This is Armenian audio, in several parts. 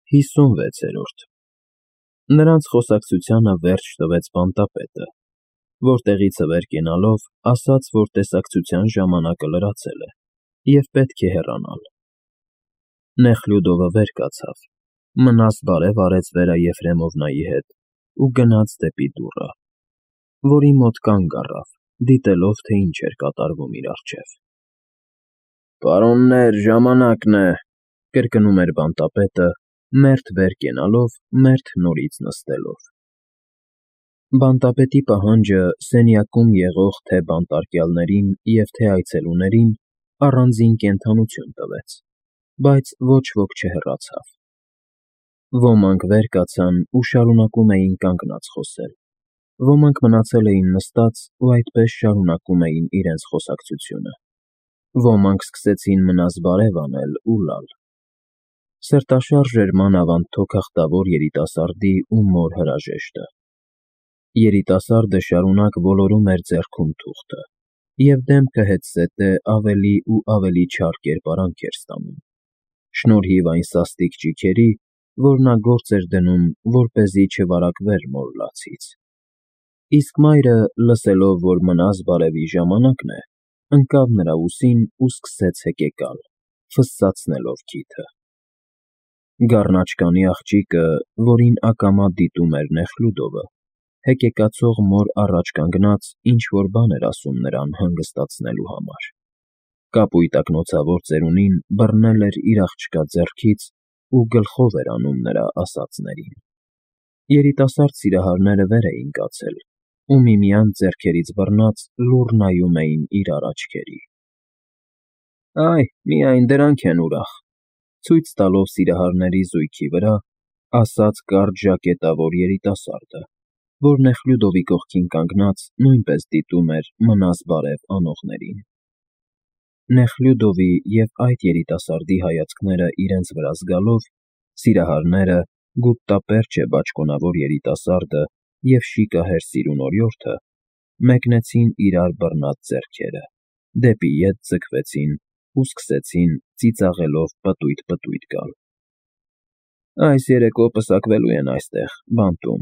56-րդ Նրանց խոսակցությանը վերջ տվեց բանտապետը, որտեղից վեր կենալով ասաց, որ տեսակցության ժամանակը լրացել է և պետք է հեռանալ։ Նեխլյուդովը վեր կացավ, մնաս բարև արեց Վերա Եֆրեմովնայի հետ ու գնաց դեպի դուռը, որի մոտ կանգ առավ, դիտելով, թե ինչ էր կատարվում իր առջև։ «Պարոններ, ժամանակն է», կրկնում էր բանտապետը, մերթ վեր կենալով, մերթ նորից նստելով։ Բանտապետի պահանջը սենյակում եղող թե՛ բանտարկյալներին և թե՛ այցելուներին առանձին կենդանություն տվեց, բայց ոչ ոք չհեռացավ։ Ոմանք վեր կացան ու շարունակում էին կանգնած խոսել, ոմանք մնացել էին նստած ու այդպես շարունակում էին իրենց խոսակցությունը, ոմանք սկսեցին մնաս բարև անել ու լալ։ Սրտաշարժ էր մանավանդ թոքախտավոր երիտասարդի ու մոր հրաժեշտը։ Երիտասարդը շարունակ ոլորում էր ձեռքում թուղթը, և դեմքը հետզհետե ավելի ու ավելի չար կերպարանք էր ստանում, շնորհիվ այն սաստիկ ճիգերի, որ նա գործ էր դնում, որպեսզի չվարակվեր մոր լացից։ Իսկ մայրը, լսելով, որ մնաս բարևի ժամանակն է, ընկավ նրա ուսին ու սկսեց հեկեկալ, ֆսսացնելով քիթը։ Գառնաչկանի աղջիկը, որին ակամա դիտում էր Նեխլյուդովը, հեկեկացող մոր առաջ կանգնած ինչ֊որ բան էր ասում նրան հանգստացնելու համար։ Կապույտ ակնոցավոր ծերունին բռնել էր իր աղջկա ձեռքից ու գլխով էր անում նրա ասածներին։ Երիտասարդ սիրահարները վեր էին կացել ու միմյանց ձեռքերից բռնած լուռ նայում էին իրար աչքերի։ «Այ, միայն դրանք են ուրախ», ցույց տալով սիրահարների զույգի վրա, ասաց կարճ ժակետավոր երիտասարդը, որ Նեխլյուդովի կողքին կանգնած նույնպես դիտում էր մնաս բարև անողներին։ Նեխլյուդովի և այդ երիտասարդի հայացքները իրենց վրա զգալով, սիրահարները, գուտտապերճե բաճկոնավոր երիտասարդը և շիկահեր սիրուն օրիորդը մեկնեցին իրար բռնած ձեռքերը, դեպի ետ ձգվեցին ու սկսեցին ծիծաղելով պտույտ գալ։ «Այս երեկո պսակվելու են այստեղ, բանտում,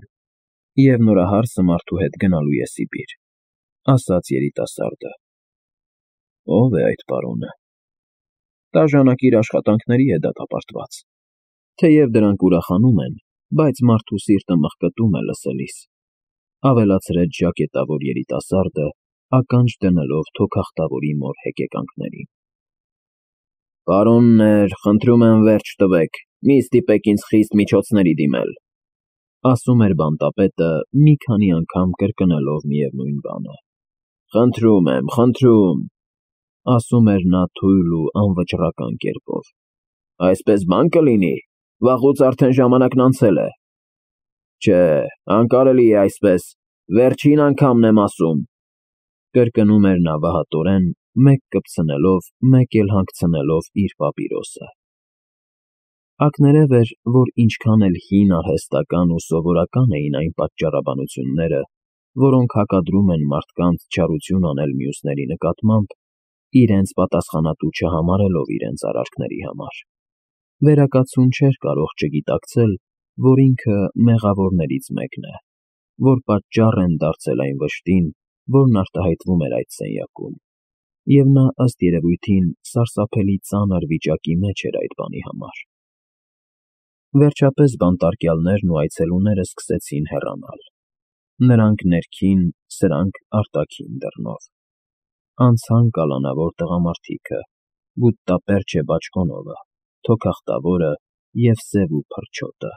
և նորահարսը մարդու հետ գնալու է Սիբիր», ասաց երիտասարդը։ «Ո՞վ է այդ պարոնը»։ «Տաժանակիր աշխատանքների է դատապարտված։ Թեև դրանք ուրախանում են, բայց մարդու սիրտը մղկտում է լսելիս», ավելացրեց ժակետավոր երիտասարդը, ականջ դնելով թոքախտավորի մոր հեկեկանքներին։ «Պարոններ, խնդրում եմ վերջ տվեք, մի ստիպեք ինձ խիստ միջոցների դիմել», ասում էր բանտապետը, մի քանի անգամ կրկնելով միևնույն բանը։ «Խնդրում եմ, խնդրում», ասում էր նա թույլ ու անվճռական կերպով։ «Այսպես բան կլինի, վաղուց արդեն ժամանակն անցել է»։ «Չէ, անկարելի է այսպես, վերջին անգամն եմ ասում», կրկնում էր նա վահատորեն, մեկ կպցնելով, մեկ էլ հանգցնելով իր պապիրոսը։ Ակներև էր, որ ինչքան էլ հին արհեստական ու սովորական էին այն պատճառաբանությունները, որոնք հակադրում են մարդկանց չարություն անել մյուսների նկատմամբ, իրենց պատասխանատու չհամարելով իրենց արարքների համար, վերակացուն չէր կարող չգիտակցել, որ ինքը մեղավորներից մեկն է, որ պատճառ են դարձել այն վշտին, որն արտահայտվում էր այդ սենյակում, և նա, ըստ երևույթին, սարսափելի ծանր վիճակի մեջ էր այդ բանի համար։ Վերջապես բանտարկյալներն ու այցելուները սկսեցին հեռանալ, նրանք ներքին, սրանք արտաքին դռնով։ Անցան կալանավոր տղամարդիկը, գուտտապերճե բաճկոնովը, թոքախտավորը և սև ու փրչոտը։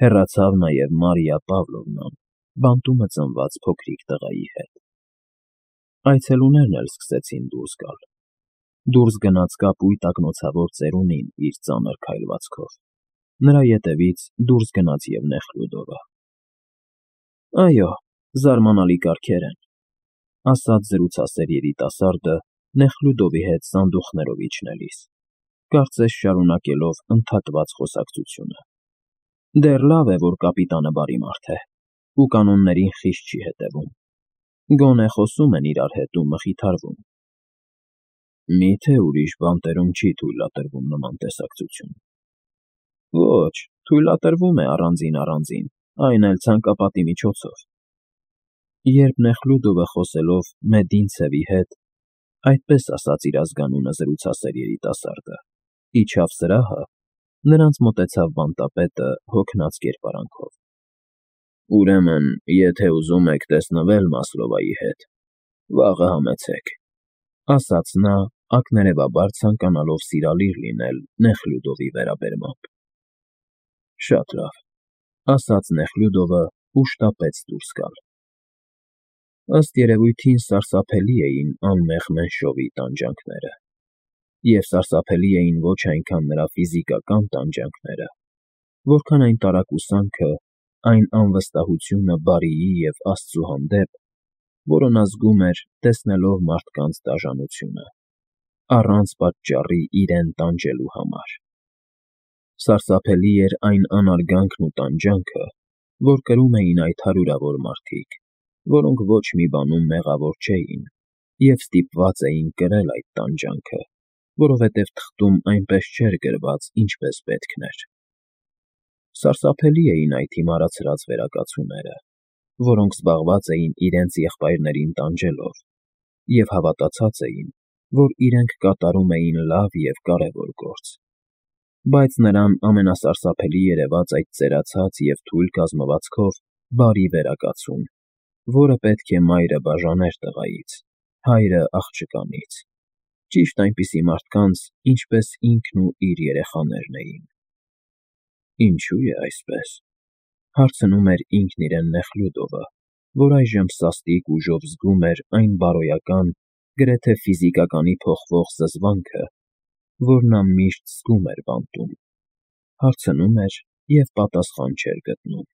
Հեռացավ նաև Մարիա Պավլովնան, բանտումը ծնված փոքրիկ տղայի հետ։ Այցելուներն էլ սկսեցին դուրս գալ։ Դուրս գնաց կապույտ ակնոցավոր ծերունին իր ծանր քայլվածքով։ Նրա ետևից դուրս գնաց և Նեխլյուդովը։ «Այո, զարմանալի կարգեր են», ասաց զրուցասեր երիտասարդը Նեխլյուդովի հետ սանդուղքներով իջնելիս, կարծես շարունակելով ընդհատված խոսակցությունը։ «Դեռ լավ է, որ կապիտանը բարի մարդ է ու կանոններին խիստ չի հետևում։ Գոնե խոսում են իրար հետ ու մխիթարվում»։ «Մի՞թե ուրիշ բանտերում չի թույլատրվում նման տեսակցություն»։ Ոչ, թույլատրվում է առանձին, այն էլ ցանկապատի միջոցով։ Երբ Նեխլյուդովը խոսելով Մեդինցևի հետ, այդպես ասաց իր ազգանունը զրուցասեր երիտասարդը, իջավ սրահը, նրանց մոտեցավ բանտապետը հոգնած կերպարանքով։ Ուրեմն, եթե ուզում եք տեսնվել Մասլովայի հետ, վաղը համեցեք, ասաց նա, ակներևաբար ցանկանալով սիրալիր լինել Նեխլյուդովի վերաբերմամբ։ Շատ լավ, ասաց Նեխլյուդովը ու շտապեց դուրս գալ։ Ըստ երևույթին սարսափելի էին անմեղ Մենշովի տանջանքները, և սարսափելի էին ոչ այնքան նրա ֆիզիկական տանջանքները, որքան այն տարակուսանքը, այն անվստահությունը բարիի և Աստծու հանդեպ, որը նա զգում էր, տեսնելով մարդկանց դաժանությունը, առանց պատճառի իրեն տանջելու համար։ Սարսափելի էր այն անարգանքն ու տանջանքը, որ կրում էին այդ հարյուրավոր մարդիկ, որոնք ոչ մի բանում մեղավոր չէին և ստիպված էին կրել այդ տանջանքը, որովհետև թղթում այնպես չէր գրված, ինչպես պետք էր։ Սարսափելի էին այդ հիմարացրած վերակացուները, որոնք զբաղված էին իրենց եղբայրներին տանջելով և հավատացած էին, որ իրենք կատարում էին լավ և կարևոր գործ, բայց նրան ամենասարսափելի երևաց այդ ծերացած և թույլ կազմվածքով բարի վերակացուն, որը պետք է մայրը բաժաներ տղայից, հայրը աղջկանից, ճիշտ այնպիսի մարդկանց, ինչպես ինքն ու իր երեխաներն էին։ Ինչո՞ւ է այսպես, հարցնում էր ինքն իրեն Նեխլյուդովը, որ այժմ սաստիկ ուժով զգում էր այն բարոյական, գրեթե ֆիզիկականի փոխվող զզվանքը, որ նա միշտ զգում էր բանտում, հարցնում էր և պատասխան չէր գտնում։